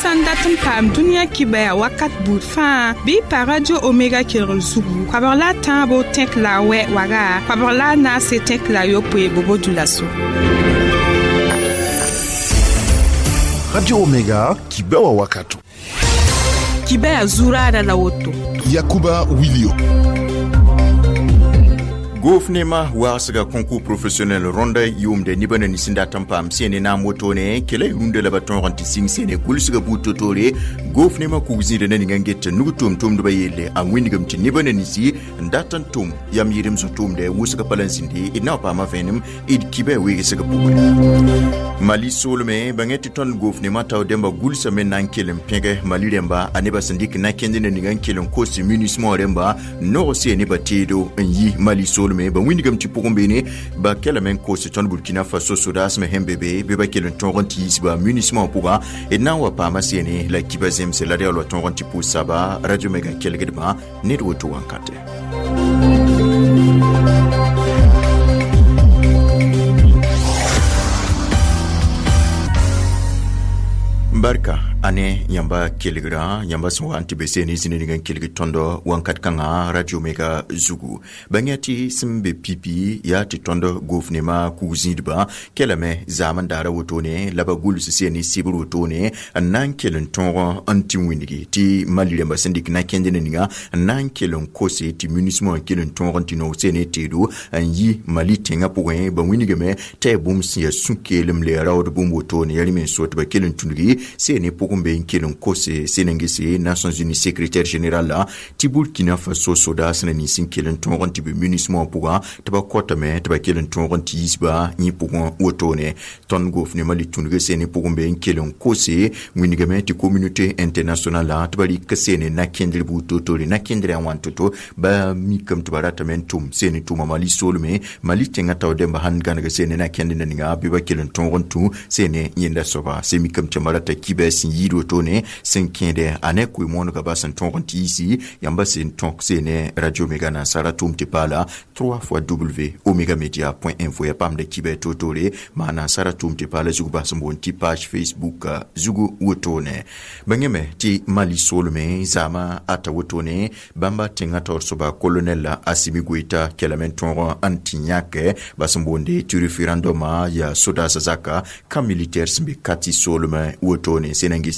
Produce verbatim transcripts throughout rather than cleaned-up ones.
Sã n dat n paam dũniyã kibɛa wakat buud fãa bɩ y pa Radio Omega kelgr zugu koabg la a tãabo tẽk la a wɛ waga koabg la a naase tẽk la a yopoe bobo dulaso. Radio Omega kibɛa wakato. Kibɛa zuraada la woto. Yakuba Wilio. Gofnema wagsga concours professionnel rõnda yʋʋmde nebã na nins n dat n paam sẽne naam wotone kela y rũndã la ba tõog n tɩ sɩng sẽne gʋlsga buud totore gofnema kug zĩida na ninga n get nug tʋʋm-tʋmdbã yelle a wĩndgame tɩ nebã na ninsi n dat n tʋm yam yɩrem sẽn tʋʋmdɛ wʋsga pa la n zĩnde d na wa paama vẽenem d kibã weegsga pʋgẽ. Mali soolme bãngẽ tɩ tõnd gofnema tao dẽmba gʋlsame na n kell n pẽge Mali rẽmba a nebã sẽn dɩk na-kẽnd na ninga n kell n kos munismã rẽmba nog seen nebã teedo n yi Mali soolme ba wĩndgame tɩ pʋgẽ beene ba kelame n kos tõnd Burkina Faso sodaasmã sẽn be be bɩ ba kell n tõog n tɩ yiisba munismã pʋgã d na n wa paama seene la kiba zemse la d yaool wa tõog n tɩ pʋʋs saba Radio Mega kelgdbã ned woto wãnkate. Barka ane yãmba kelgrã yãmba sẽn wa n tɩ be seene zĩni ning n kelg tõndo wãnkat kãngã Radio Mega zugu bãng tɩ sẽn be pipi yaa tɩ tõnd gofnema kug zĩidbã kelame zaam n daara wotone la ba gʋls seene sɩbr wotone n na n kell n tõog n tɩ wĩndgi tɩ Mali rẽmba sẽn dɩk na-kẽnd ne ninga n na n kell n kose tɩ munismã n kell n tõog n tɩ noog seene teedo n yi Mali tẽngã pʋgẽ ba wĩndgame tɩ ya bũmb sẽn yaa sũ-keelem la ya raood bũmb wotone yaa rẽ me n so tɩ ba kell n tũngi seene pʋgẽ be n kell n kose Sénégal Nations Unies secrétaire général la tɩ Burkina Faso sodaas na nins n kell n tõog n tɩ be munismã pʋgã tɩ ba kotame tɩ ba kell n tõog n tɩ yiisba yẽ pʋgẽ wotone tõnd gofnema le tũnug seene pʋgẽ be n kell n kose wĩndgame tɩ communauté internationale la tɩ ba rɩk seene na-kẽndr buud totore na-kẽndrã wãn toto ba mikame tɩ ba ratame n tʋm seene tʋma Mali soolme Mali tẽngã tao dẽmba sãn gãneg seene na-kẽnd na ninga bɩ ba kell n tõog n tũ seene yẽnda soaba se mikame tɩ yãmba rata kibɛ sẽn yiid wotone sẽn kẽede a ne koe-moonegã ba sẽn tõog n tɩ yiisi yãmba sẽn tõk seene Radio Mega nansara tʋʋm tɩ paala trois fois w omega media point info ya paamda kibɛ totore maa nansara tʋʋm tɩ paala zug bas n boond tɩ page Facebook zugu wotone bãngame tɩ Mali soolme zaama ata wotone bãmba tẽngã taoor soaba colonel la Assimi Goïta kelame n tõog n tɩ yãke ba sẽn boonde tɩ référendum yaa sodaasã zaka camp militaire sẽn be Kati soolme wotone Sénégal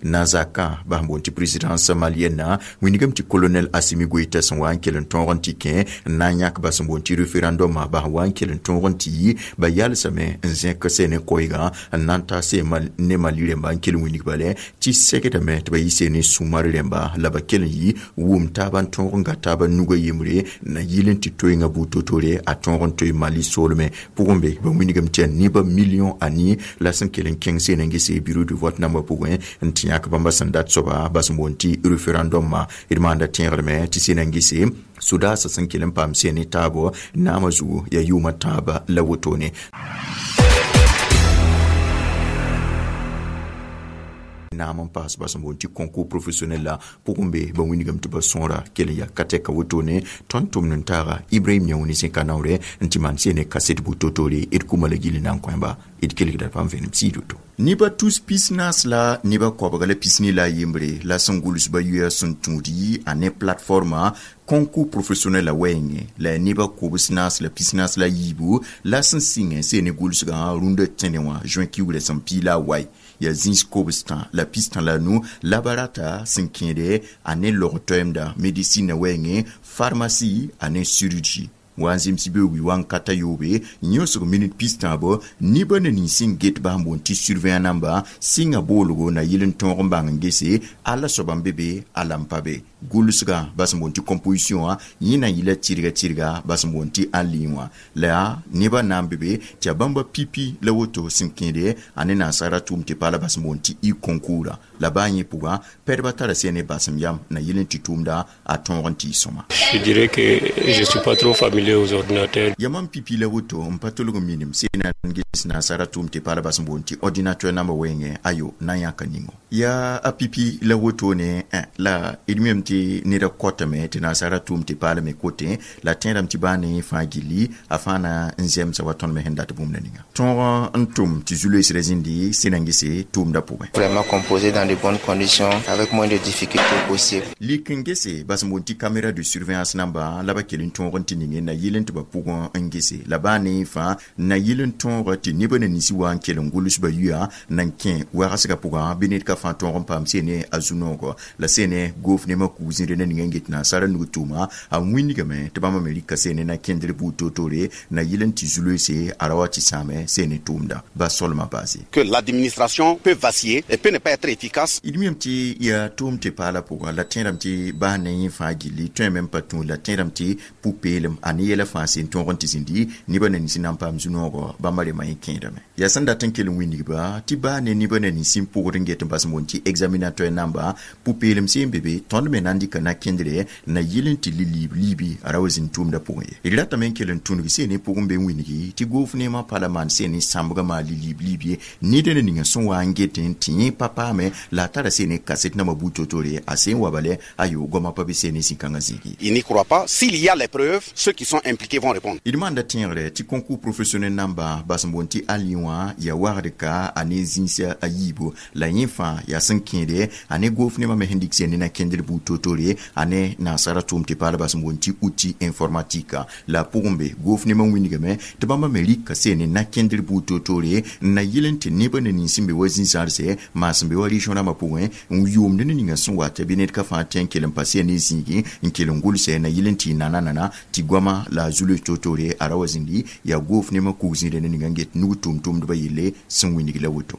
nazaka ba boond tɩ présidence malienne wĩndgame tɩ colonel Assimi Goïta sẽn wa n kell n tõog n tɩ kẽ n na n yãk ba sẽn boond tɩ référendum ba wa n kell n tõog n tɩ yi ba yalsame n zẽk seene koɛɛgã n na n ta see ne Mali rẽmba n kell n wĩndg bale tɩ segdame tɩ ba yɩ seene sũmar rẽmba la ba kell n yi wʋm taaba n tõog n ga taaba nugã yembre na yɩl n tɩ toeengã buud totore a tõog n toe Mali soolme pʋgẽ be ba wĩndgame tɩ yaa nebã million a nii la sẽn kell n kẽng seene n gese bureau de vote nambã pʋgẽ n tɩ yãk bãmba sẽn dat soaba bas n boond tɩ référendum d maanda tẽegdme tɩ seena n gese sodaasã sẽn kell n paam seene taabo naamã zugu yaa yʋʋmã tãaba la wotone. Naam n paas bas n boond tɩ concours professionnel la pʋgẽ be ba wĩndgame tɩ ba sõora kell n yaa ka-tɛka wotone tõnd tʋmd n taaga Ibrahim Yãune zẽka naoore n tɩ maan seene kaset buud totore d kuma la gill na n kõeba d kelgda paam vẽenem siid woto. Neba tus pis naas la neba koabga la pisni la a yembre la sẽn gʋls ba yoɛɛ sẽn tũud yi a ne plateforma concours professionnel la wɛɛngẽ la ya neba kobs naas la pis naas la a yiibu la sẽn sɩngẽ seene gʋlsgã rũndã tẽne wã juin kiugrã sẽn pii la a wae ya zĩis kobstã la pistã la nu la ba rata sẽn kẽede a ne log-toɛɛmda médecine wɛɛngẽ pharmacie a ne chirurgie wa n zemsɩ be wi wa n ka ta yoobe yõsg minit pis-tãabo nebã na nins sẽn get bas n boond tɩ surveillant namba sɩnga boolgo na yɩl n tõog n bãng n gese alla soaba n be be alla n pa be gʋlsgã bas n boond tɩ composition wã yẽ na n yɩla tɩrga tɩrga bas n boond tɩ en ligne wã la nebã na n be be tɩ yaa bãmba pipi la woto sẽn kẽede a ne nansara tʋʋm tɩ paala bas n boond tɩ e-concours la baa yẽ pʋgã pɛdbã tara sẽn ne basem yam na yɩl n tɩ tʋʋmda a tõog n tɩ y sõma. Je dirais que je suis pas trop familier aux ordinateurs. Yamam pipi la woto n pa tolg n minim sẽn n ges nansara tʋʋm tɩ paala bas n boond tɩ ordinateur namba wɛɛngẽ ayo na n yãka ningo yaa a pipi la wotone la d mem tɩ neda kɔtame tɩ nasaara tʋʋm tɩ paalame kote la tẽedame tɩ baa ne fãa gilli a fãa na n zemsa wa tõnd me sẽn dat bũmb na ninga tõog n tʋm tɩ zu-loeesrã zĩndi sẽn-gese tʋʋmdã pʋgẽ. Vraiment composé dans de bonnes conditions, avec moins de difficultés possible. Lik n gese bas n boond tɩ caméra de surveillance namba la ba kell n tõog n tɩ ninge na yɩl n tɩ ba pʋgẽ n gese la baa ne fãa na yɩl n tõog tɩ nebã na ninsi wa n kell n gʋls ba yuya na n kẽ wagsgã pʋgã bɩ ned ka fãa tõog n paam sene a zu-noogɔ la sene goof nemã kug zĩre na ninga n get nasaara nug tʋʋma a wĩndgame tɩ bãmba me rɩka sene na kẽndr buud toor-toore na yɩl n tɩ zu-loeese a ra wa tɩ sãame sene tʋʋmda ba solmã baase. Que l'administration peut vaciller et peut ne pas être efficace. D miame tɩ yaa tʋʋm tɩ paala pʋgã la tẽedame tɩ baa ne yẽ fãa gilli tõe me n pa tũ la tẽedame tɩ pʋ-peelem a ne yɛla fãa sen tõog n tɩ zĩndi nebã na ninsi na n paam zu-noogɔ bãmba rema yẽ kẽedame yaa sẽn dat n kell n wĩnigba tɩ baa ne nebã na ninsi n pʋgd n get n bas n boond tɩ examinateur namba pʋ-peelem seen be be tõnd me na n dɩka na kẽndre na yɩl n tɩ li-liib liibi a ra wa zĩnd tʋʋmdã pʋgẽ ye d ratame n kell n tũnug seen pʋgẽ be n wĩnigi tɩ goof neemã pa la maan seen sãmbgã maa li-liib liib ye ned na ninga sẽn wa n get n tɩ yẽ pa paame la a tara seen kaset nambã buud toor-toore a sẽn wa bale a yo goamã pa be seen zĩ-kãngã zĩigi. Il n'y croit pas. S'il y a les preuves, ceux qui sont impliqués vont répondre. D maanda tẽegre tɩ concours professionnel namba bas n boond tɩ ali wã yaa wagd ka a ne zĩisa a yiibu la yẽ fãa yaa sẽn kẽede a ne goof nemã me sẽn dɩk seen ne na kẽndr buud toor-toore a ne nasaara tʋʋm tɩ paal bas n boond tɩ outil informatique la a pʋgẽ be goof nemã wĩndgame tɩ bãmba me rɩka seen na kẽndr buud toor-toore n na yɩl n tɩ nebã na nins sẽn be wa zĩ-zãrse maa sẽn be wa région rãmbã pʋgẽ n yʋʋmd ne ninga sẽn wata bɩ ned ka fãa tẽ n kell n pa seen ne zĩigi n kell n gʋlsɛ na yɩl n tɩ nana nana tɩ goamã la a zu-loees toor-toore a ra wa zĩndi yaa goof nemã kug zĩirã ne ninga n get nug tʋʋm-tʋʋmdbã yelle sẽn wĩndg la woto.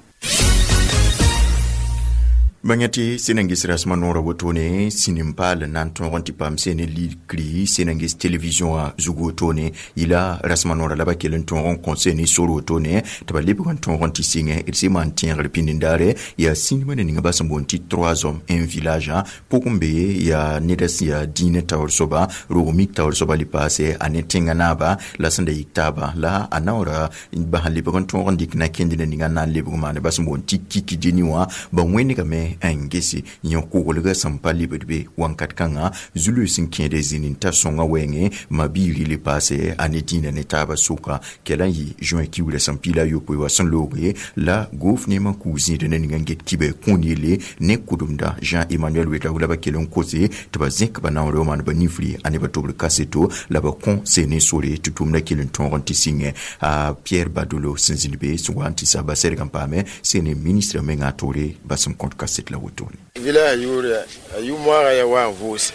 Bãng tɩ sẽn-ges rasmã noorã wotone sĩnim paal n na n tõog n tɩ paam sene likri sẽn-ges television wã zug wotone yɩla rasmã noorã la ba kell n tõog n kõ sene sor wotone tɩ ba lebg n tõog n tɩ sɩngẽ d sẽn maan tẽegr pĩnd-daare yaa sĩnimã ne ninga ba sẽn boond tɩ trois hommes un village pʋgẽ be yaa neda sẽn yaa dĩinã taoor soaba rog mik taoor soaba le paase a ne tẽngã naaba la sẽn da yik taaba la a naoora bas n lebg n tõog n dɩk na kẽnd na ninga n na n lebg maane ba sẽn boond tɩ Kikideni wã ba wẽnegame n gese yẽ koglga sẽn pa lebd be wãnkat kãngã zu-loees n kẽede zĩnd n ta sõngã wɛɛngẽ ma-biiri le paase a ne dĩinã ne taabã sʋka kɛla n yɩ juin kiuurã sẽn piila a yopoe wa sẽn looge la goof neemã kug zĩida na ninga n get kibɛ kũun yelle ne kʋdemda Jean Emmanuel Ouedraogo la ba kell n kose tɩ ba zẽk ba naoore wã maan ba nifri a ne ba tobr kaseto la ba kõ seen ne sore tɩ tʋʋmdã kell n tõog n tɩ sɩngẽ a Pierre Badolo sẽn zĩnd be sẽn wa n tɩ sa ba sɛrg n paame seen ne ministre mengã toore ba sẽn kõt kaset la wotone. Village yʋʋre a yʋ-moaagã yaa wa n vʋʋse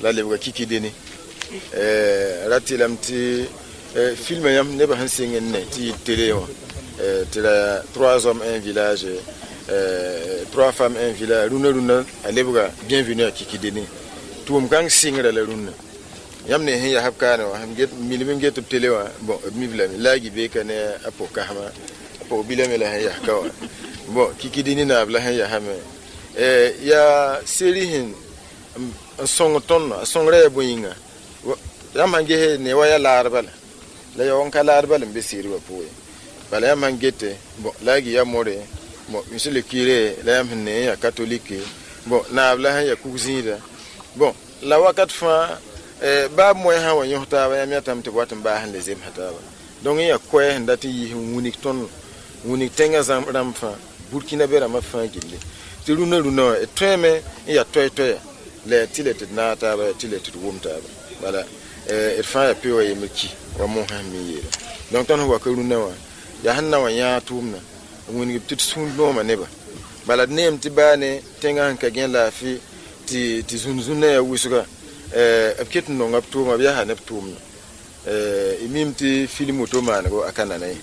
la lebga Kikideni ra tɩlame tɩ filmã yãmb nebã sẽn sɩng n ne tɩ yɩ télé wã tɩ la trois hommes un village, trois femmes un village rũnã rũnã a lebga Bienvenue à Kikideni tʋʋm kãng sɩngrã la rũnnã yãmb ne sẽn yaa b kaane wã sẽn milm n get b télé wã bon b mib lame la a gibeka ne a pʋg-kãsma a pʋg-bilame la sẽn yas ka wã bon Kikideni naab la sẽn yasame yaa seri sẽn n sõng tõnd a sõngrã yaa bõe yĩnga yãmb sãn ges ne wa yaa laad bala la ya n ka laad bala n be seeri wã pʋgẽ bala yãmb sãn gete bon la a gɩ yaa more bon monsieur le curé la yãmb sẽn ne n yaa catholique bon naab la sẽn yaa kug-zĩida bon la wakat fãa baa moɛɛ sã wa yõs taaba yãmb yãtame tɩ b wat n baas n le zemsa taaba donc n yaa koɛɛ sẽn dat n yiis n wĩnig tõnd wĩnig tẽngã rãmb fãa Burkina be rãmbã fãa gilli tɩ rũnã rũnã wã d tõeme n yaa toɛ-toɛya la yaa tɩ le tɩ d naag taaba yaa tɩ le tɩ d wʋm taaba bala d fãa yaa pe wa yembr ki wa mosã sẽn mi yeela donc tõnd sẽn wa ka rũnã wã yaa sẽn na wã yãag tʋʋmdã wĩnigb tɩ d sũur noomã nebã bala d neem tɩ baa ne tẽngã sẽn ka gẽ laafɩ tɩ tɩ zũn-zũnã yaa wʋsga b ket n nonga b tʋʋma b yaa ne b tʋʋmdã y mim tɩ film woto maanego a ka nana ye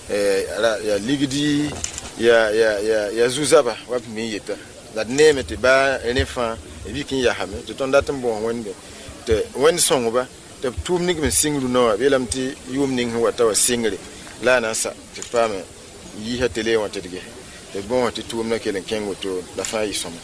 yaa ligdi yaa yaa yaa zu-zaba wa b mi yeta la d neeme tɩ baa rẽ fãa b yik n yasame tɩ tõnd dat n bõos wẽnde tɩ wẽnd sõngba tɩ b tʋʋm ning n sɩng rũnã wã b yeelame tɩ yʋʋm ning sẽn wata wã sɩngre la a na n sa tɩ d paame yiisa télé wã tɩ d ges tɩ d bõos tɩ tʋʋmdã kell n kẽng woto la fãa yɩ sõma.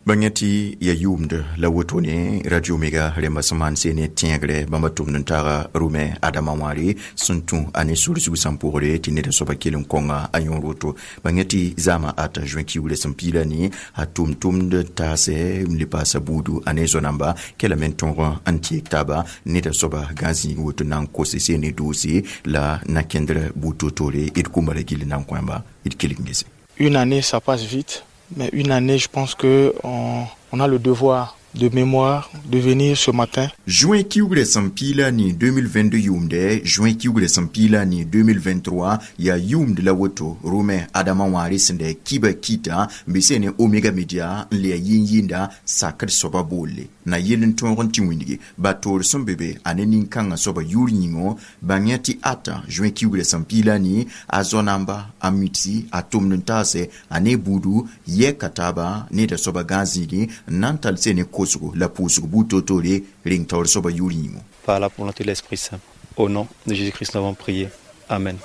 Bãng tɩ ya yʋʋmd la woto ne Radio Omega rẽmba sẽn maan seen ne tẽegre bãmba tʋmd n taaga Rʋmɛ Adama wãare sẽn tũ a ne sor zug sãn pʋgre tɩ ned soaba kell n kõnga a yõor woto. Bãng tɩ zaamã ata juin kiugrã sẽn piila ne a tʋm tʋmd taasɛ n le paasa buudu a ne zo-namba kɛla me n tõog n teeg taaba ned soaba gã zĩig woto na n kose seen ne doose la na kẽndr buud toor-toore d kʋmba la gill na n kõ d kelg n gese. Une année, ça passe vite. Mais une année, je pense que on, on a le devoir de mémoire de venir ce matin. Juin kiugrã sẽn piila ne deux mille vingt-deux yʋʋmdɛ, juin kiugrã sẽn piila ne deux mille vingt-trois yaa yʋʋmd la woto Rʋmɛ Adama wãare sẽn da kiba kɩta n be sẽn ne Omega Media n le ya yĩn-yĩnda sakd soaba boolle na yell n tõog n tɩ wĩndge ba toor sẽn be be a ne nin-kãngã soaba yʋʋr yĩngõ. Bãng yã tɩ ata juin kiugrã sẽn piila ne a zo-namba a mitsi a tʋmd n taasɛ a ne buudu yɛka taaba neda soaba gã zĩigẽ n na n tall sẽn ne kosgo la pʋʋsg buud toor-toore reng taoor soaba yʋʋr yĩngõ. Par la volonté de l'Esprit Saint. Au nom de Jésus-Christ, nous avons prié. Amen.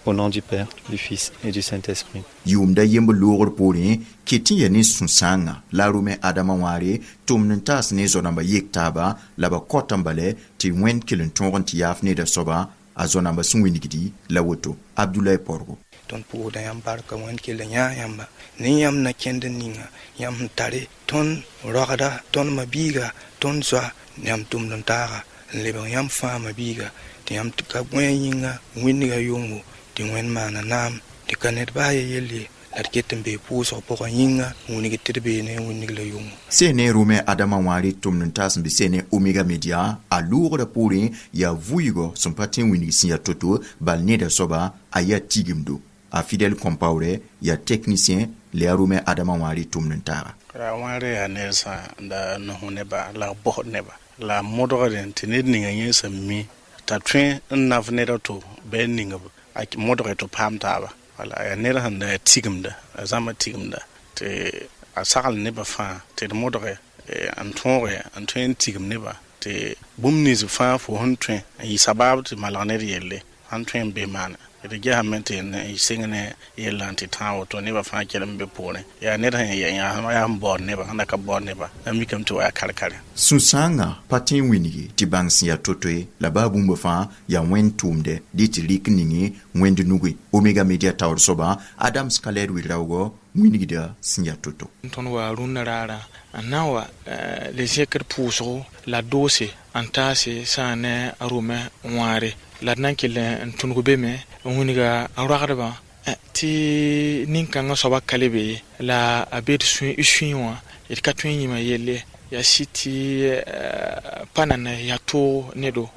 Au nom du Père, du Fils et du Saint-Esprit. Yʋʋmda yemb loogr poorẽ ket tɩ ya ne sũ-sãangã la Rʋmɛ Adama wãare tʋmd n taas ne zo-namba yek taaba la ba kõt n bala tɩ Wẽnd kell n tõog n tɩ yaaf neda soaba a zo-namba sẽn wĩnigdi la woto Abdulay Porgo. Tõnd pʋʋsda yãmb barka. Wẽnd kell yã yãmba ne yãmb na kẽnd ninga yãmb sẽn tare tõnd rogda tõnd mabiiga tõnd zoa yãmb tʋmd n taaga n lebg yãmb fãa mabiiga tɩ yãmb ka gõe yĩnga wĩndga yʋngo tɩ Wẽnd maana naam tɩ ka ned baa ye yelle la d ket n bee pʋʋsg pʋgã yĩnga wĩneg tɩ d bee ne wĩneg la yʋngo. Sẽn ne Rʋmɛ Adama wãare tʋmd n taas n be sẽn ne Omega Media a loogrã poorẽ yaa vʋɩɩgɔ sẽn pa tẽ wĩneg sẽn yaa to-to bal neda soaba a yaa tigimdo a Fidèle Compaoré yaa technicien la yaa Rʋmɛ Adama wãare tʋmd n taaga. Ra wãare yaa ned sã da nos neba la b bosd neba la modgdẽ tɩ ned ninga yẽ sẽn mi t'a tõe n naf ned a to bɩ n ning a modge tɩ paam taaba wala yaa ned sẽn da tigimda a zãma tigimda tɩ a sagl nebã fãa tɩ d modge n tõoge n tõe n tigim neba tɩ bũmb nins fãa fo sẽn tõe n yɩ sabaab tɩ malg ned yelle sãn tõe n be maana d gesame tɩ n sɩng ne yellã tɩ tãag woto nebã fãa kell n be poorẽ yaa ned sẽn yaa sẽn baood neba sẽn da ka baood neba la mikame tɩ wa yaa kar-kare. Sũ-sãangã pa tẽ n wĩnigi tɩ bãng sẽn yaa to-to ye la baa bũmb fãa yaa Wẽnd tʋʋmdɛ dɩ tɩ rɩk ninge Wẽnd nuge. Omega Media taoor soaba Adams Kalɛd wɩ-raoogɔ wĩnigda sẽn yaa to-to. Tõnd wa rũnnã raarã n na n wa le zẽkd pʋʋsgo la doose n taase sã ne a Rʋmɛ wãare la d na n kell n tũnug be me n wĩnga a roagdbã tɩ nin-kãngã soaba ka le be ye la a be d sũyẽ wã d ka tõe n yĩma yelle yaa sɩ tɩ pa nana yaa toog nedo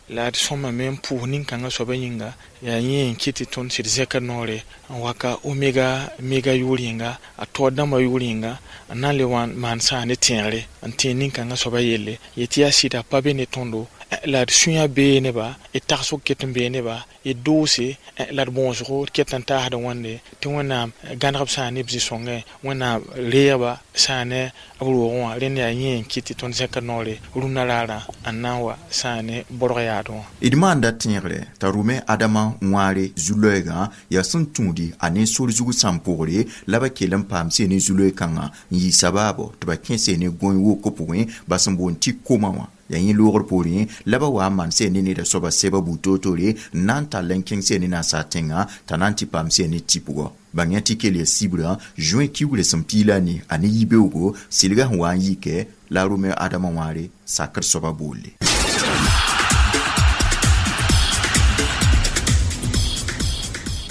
la d sõmame n pʋʋs nin-kãngã soaba yĩnga yaa yẽ n kɩt tɩ tõnd sɩd zẽkd noore n wa ka Omega Mega yʋʋr yĩnga a taood dãmbã yʋʋr yĩnga n na n le wa maan sã ne tẽegre n tẽeg nin-kãngã soaba yelle yetɩ yaa sɩda pa be ne tõndo la d sũyã bee neba d tagsg ket n bee neba d doose la d bõosgo d ket n taasd wãnde tɩ Wẽnnaam gãneg b sã ne b zĩ-sõngẽ Wẽnnaam reegba sã ne b roogẽ wã rẽnd yaa yẽ n kɩt tɩ tõnd zẽkd noore rũnnã raarã n na n wa sã ne borg yaadẽ wã. D maanda tẽegre t'a Rʋmɛ Adama wãare zu-loɛɛgã yaa sẽn tũudi a ne sor zug sãn pʋgre la ba kell n paam seen ne zu-loeeg-kãngã n yɩ sabaabo tɩ ba kẽ seen ne gõe woko pʋgẽ ba sẽn boond tɩ koma wã yaa yẽ loogr poorẽ la ba wa n maan seen ne neda soaba sɛba buud toor-toore n na n tall n kẽng seen ne nasaar tẽngã t'a na n tɩ paam seen ne tɩpgɔ. Bãng yã tɩ kell ya sibrã juin kiugrã sẽn piila ne a ne yibeoogo sɩlgã sẽn wa n yikɛ la Rʋmɛ Adama wãare sakr soaba boolle.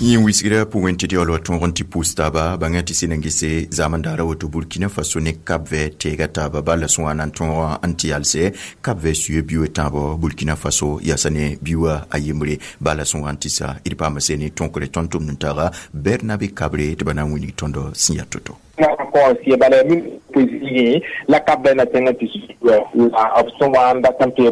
Yẽ wisgra pʋgẽ tɩ yaool wa tõog n tɩ pʋʋs taaba bãngã tɩ sẽn n gese zaam daara woto Burkina Faso ne Cap Vert teega taaba bala sẽn wa na n tõog n tɩ yalsɛ Cap Vert suye biʋ tãabo Burkina Faso yaasa ne biʋa a yembre bala sẽn wa n tɩ sa d paama se ne tõkre tõnd tʋmd n taaga Bernabe Kabre tɩ ba na n wĩnig tõndo sẽn yaa to-to. Bala la Cap Vert na tẽngã tɩ la b sẽn wa n dat n tɩ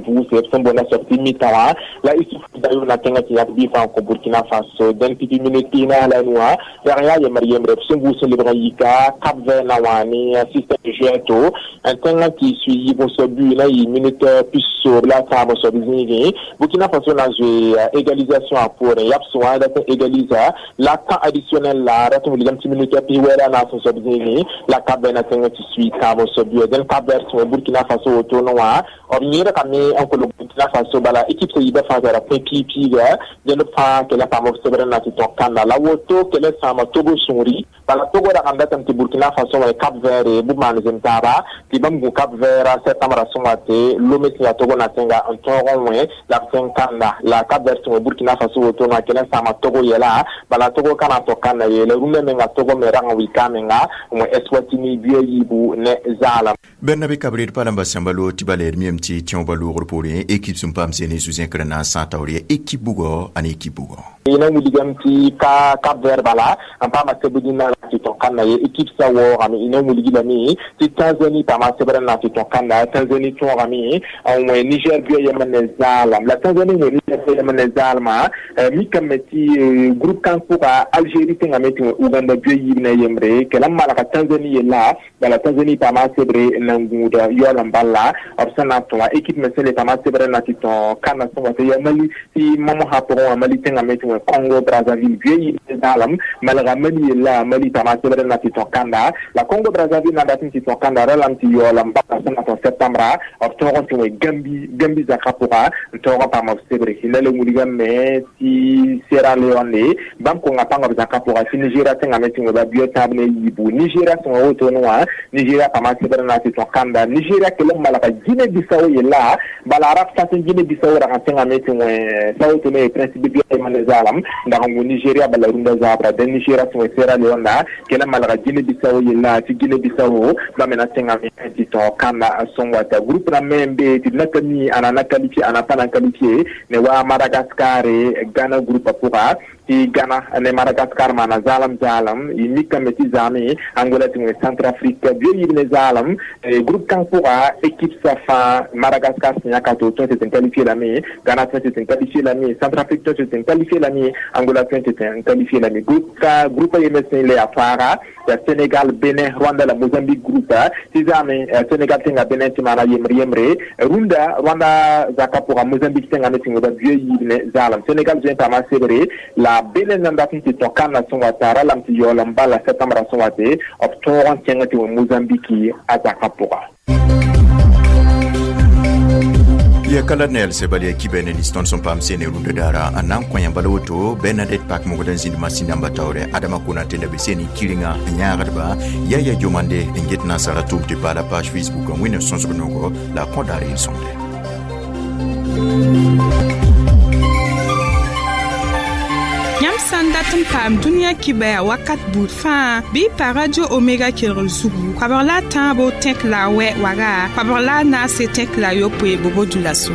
vʋʋse b sẽn boonda soab tɩ mita wã la Isuf Dayo na tẽngã tɩ yãk bɩ fãa n kõ Burkina Faso dẽn pipi minute pis naas la nu wã rag n yaa yembr yembre b sẽn vʋʋs n lebg n yika Cap Vert na wã ne système de jeu to n tẽngã tɩ sui yiib n soab bui na yɩ minute pis-soob la taab n soab zĩigẽ. Burkina Faso na n zoe égalisation a poorẽ yabs wã dat n égalisa la temps additionnel la rat n wilgame tɩ minute pis-wɛ la naas n soab zĩigẽ la Cap Vert na tẽngã tɩ sui tãab n soab bui. Dẽn Cap Vert sẽn Burkina Faso wotone wã b yẽedgame n kolg Burkina Faso bala équipe sã yiibã fãa tara pẽ piig-piiga dẽnd fãa kell n paam b sebr n na tɩ tõk kanda la woto kell n sãama Togo sũuri bala Togo rag n datame tɩ Burkina Faso wã Cap Vert bʋ maan zem taaba tɩ bãmb gũ Cap Vert septembre sõnga tɩ Lome sẽn yaa Togo na tẽnga n tõog n wẽ la b sẽn kanda la Cap Vert sẽn wẽ Burkina Faso wotone wã kell n sãama Togo yɛla bala Togo ka na n tõk kanda yeela rũndã menga Togo me rag n wika menga n wẽ Eswatini bia yiibu ne zaalam. Bɛrna kabred pa lamba sãmba lo tɩ ba leed miyame tɩ tẽobã loogr poorẽ équipe sẽn paam sene zu-zẽkr na n sã taoor yaa équipe bugɔ ane équipe bugɔ. Ina wilgame tɩ ka Cap Vert bala n paama sebd na tɩ tõk kanda ye équipe sã waoogame ina wilgi lame tɩ Tanzanie paama sebr n na tɩ tõk kanda Tanzanie tõogame n wẽ Niger bia yembr ne zaalam la Tanzanie wẽ Niger bia yembr ne zaalmã mikame tɩ groupe kãng pʋga Algérie tẽngame tɩ wẽ Uganda bia yiib ne yembre kell n malga Tanzanie yella bala Tanzanie paama sebre n na n gũuda yaool n bala b sẽn na n tõ wã équipe me sẽn le paama sebr n na tɩ tõ kanda sẽn wa tɩ yaa Mali tɩ mamosã pʋgẽ wã Mali tẽngame tɩ wẽ Congo Brazzaville bia yiib ne zaalam malga Mali yella Mali paama sebr n na tɩ tõ kanda la Congo Brazzaville na n dat n tɩ tõ kanda ra lame tɩ yaool n bala sẽn na tõ septembre b tõog n tɩ wẽ Gambi Gambi zakã pʋga n tõog n paam b sebre la la wilgame tɩ Sierra Leone bãmb konga pãnga b zakã pʋga tɩ Nigeria tẽngame tɩ wẽ ba bia tãab ne yiibu Nigeria sẽn wa wotone wã Nigeria paama sebr n na tɩ tõ kanda Nigeria kell n malga Guinée Bissau yella bala rab sãs n Guinée Bissau rag n tẽngame tɩ wẽ Sao Tome et Principe bia yembr ne zaalam n dag n wũ Nigeria bala rũndã zaabra dẽn Nigeria sẽn wẽ Sierra Leone kell n malga Guinée Bissau yella tɩ Guinée Bissau bãmb me na tẽngame tɩ tõ kanda sẽn wata groupe rãmb me n be tɩ d na ka mi ãna na qualifié ãna pa na qualifié ne wa Madagascar Ghana groupe pʋga tɩ Ghana ne Madagascar maana zaalam zaalam y mikame tɩ zaame Angola tɩ wẽ Centrafrique bia yiib ne zaalam groupe kãng pʋga équipe sã fãa Madagascar sẽn yãka tɩ tõe tɩ tɩ n qualifié lame Ghana tõe tɩ tɩ n qualifié lame Centrafrique tõe tɩ tɩ n qualifié lame Angola tõe tɩ tɩ n qualifié lame groupe ka groupe a yembe sẽn le yaa faaga yaa Sénégal, Bénin, Rwanda la Mozambique groupe tɩ zaame Sénégal tẽnga Bénin tɩ maana yembre yembre rũndã Rwanda zakã pʋga Mozambique tẽngame tɩ wẽba bia yiib ne zaalam Sénégal zoe n paama sebre la Bénin nan dat n tɩ tõ kanda sẽn wa tara lame tɩ yaool n bala septembre sẽn wa tɩ b tõog n kẽng tɩ wẽ Mozambique a zakã pʋga. Ya kala nel sebal ya kibene ni ston son pam sene runda dara anan ko yamba woto Bernadette Pak mo godan zindi masina mbatawre Adama Konate na beseni kiringa nyagadba ya ya jomande nget na sara tum te pala page Facebook wina sonsonogo la kondare sonde. Yãmb sã n dat n paam dũniyã kibɛa wakat buud fãa bɩ pa Radio Omega kelgr zugu koabg la a tãabo tẽk la a wɛ waga koabg la a naase tẽk la a yopoe bobo dulaso.